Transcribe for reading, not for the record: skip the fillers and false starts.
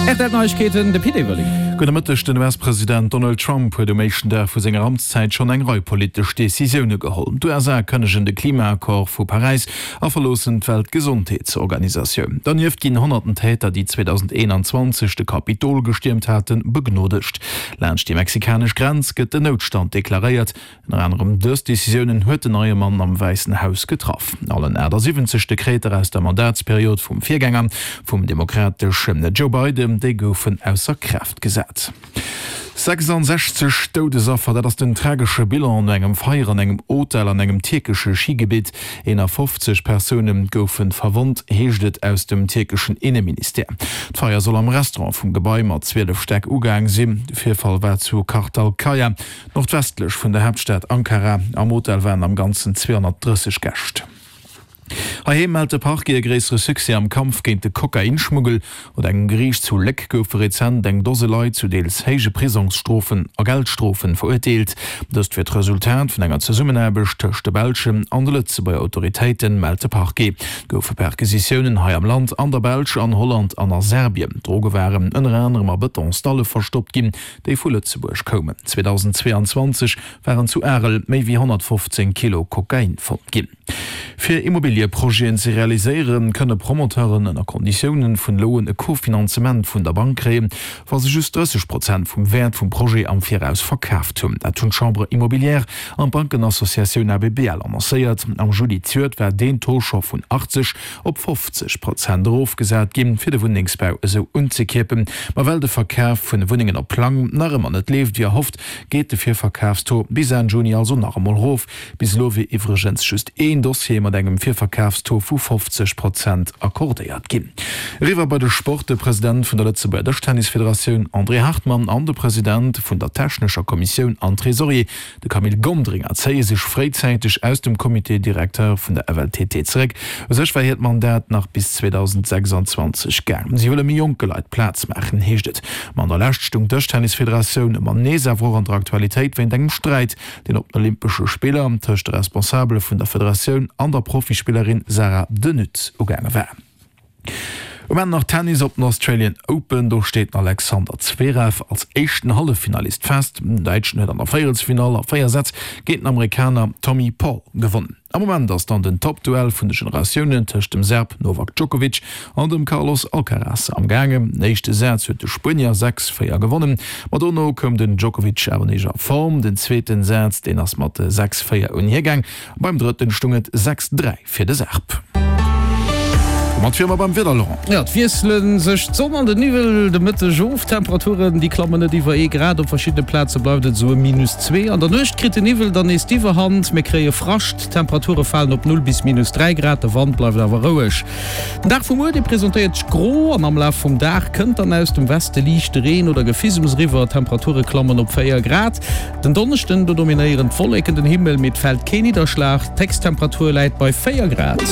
Rtl Neiegkeeten, de Pit Everling. Gudde Mëtteg, Den US-President Donald Trump huet um éischten Dag vu senger Amtszäit schonn eng Rei politesch Decisioune geholl. D'USA kënnegen de Klimaaccord vu Paräis a verloossen d'Weltgesondheetsorganisatioun. Dernieft ginn honnerten Täter, déi 2021 de Kapitol gestiermt haten, begnodegt. Laanscht déi mexikanesch Grenz gëtt den Noutstand deklaréiert. Ënner anerem dës Decisiounen huet den neie Mann am Wäissen Haus getraff. Allen 78 Dekreter aus der Mandatsperiod vum Virgänger vum demokrateschen Joe Biden, déi goufen ausser Kraaft gesat. 66 Doudesaffer, dat ass den tragesche Bilan no engem Feier an engem Hotel an engem tierkesche Schigebitt. 51 Persoune goufe verwonnt, heescht et aus dem tierkeschen Inneministère. D'Feier soll am Restaurant vum Gebai mat 12 Stäck ugaang sinn. De Virfall war zu Kartalkaya. Nordwestlech vun der Haaptstad Ankara. Am Hotel waren am Ganzen 230 Gäscht. Heiheem mellt de Parquet e gréissere Succès am Kampf géint de Kokainschmuggel. Ot engem Geriicht zu Léck goufe rezent eng Dose Leit zu deels héije Prisongsstrofen a Geldstrofen verurteelt. Dëst wier d'Resultat vun enger Zesummenaarbecht tëscht de belschen an de Lëtzebuerger Autoritéiten, mellt de Parquet. Et goufe Perquisitiounen hei am Land, an der Belsch, an Holland an a Serbien. D'Droge waren ënner anerem a Betonsdalle verstoppt ginn. déi vu Lëtzebuerg koumen. 2022 waren zu Arel méi wéi 115 Kilo Kokain fonnt ginn. Fir Immobilieprojeten ze realiséieren, kënne Promoteuren ënner Konditiounen vun elo un e Kofinanzement vun der Bank kréien, wa se just 30 Prozent vum Wäert vum Projet am Viraus verkaaft hunn. Dat hunn d'Chambre immobilière an d'Bankenassociatioun ABBL annoncéiert. Am Juli zejoert war deen Taux scho vun 80 op 50 Prozent erofgesat ginn, fir de Wunnengsbau esou unzekierpen. Ma well de Verkaf vun Wunnengen op Plang nach ëmmer net leeft wéi erhofft, geet de Virverkafstaux bis Enn Juni also nach emol erof. Bis elo wier iwwregens just een Dossier mat engem Virverkafstaux vu 50 Prozent accordéiert ginn. Eriwwer bei de Sport, De President vun der Lëtzebuerger Dëschtennisfederatioun André Hartmann an de President vun der technescher Kommissioun an Tresorier De Camille Gonderinger zéie sech fréizäiteg aus dem Comité directeur vun der FLTT zeréck. U sech war hiert Mandat nach bis 2026 gaang. Si wëlle méi jonke Leit Plaz maachen, heescht et. Ma an der Lescht stung d'Dëschtennisfederatioun ëmmer nees awer och an der Aktualitéit wéint engem Sträit, deen op den Olympesche Spiller tëscht de Responsabele vun der Federatioun an der Profispillerin Sarah De Nutte ugaange war. Um Enn nach Tennis op den Australian Open. Do steet den Alexander Zverev als éischten Halleffinalist fest. Den Däitschen huet an der Véierelsfinall a 4 Sätz géint den Amerikaner Tommy Paul gewonnen. Am Moment ass dann den Toppduell vun de Generatiounen tëscht dem Serb Novak Djokovic an dem Carlos Alcaraz am gaangen. Den éischte Saz huet de Spuenier 6, 4 gewonnen, ma dono koum den Djokovic awer nees a Form. Den zweeten Saz, deen ass mat 6, 4 un hie gaang. Beim drëtten stung et 6, 3 fir de Serb. Domat wiere mer beim Wieder, Laurent. Jo, et wiessele sech d'Sonn an den Niwwel de Mëtteg of. D'Temperaturen, déi klammen net iwwer ee Grad, op verschiddene Plaze bleift et esou ëm minus 2. An der Nuecht kritt den Niwwel dann nees d'Iwwerhand, mir kréie Frascht, d'Temperature falen op 0 bis minus 3 Grad, de Wand bleift awer roueg. Den Dag vu muer, dee presentéiert sech gro an am Laf vum Dag kënnt dann aus dem Weste liichte Reen oder Gefissems eriwwer, d'Temperature klammen op 4 Grad. Den Donneschden, do dominéieren d'Wolleken den Himmel, mee et fält kee Nidderschlag. D'Héchsttemperatur läit bei 4 Grad.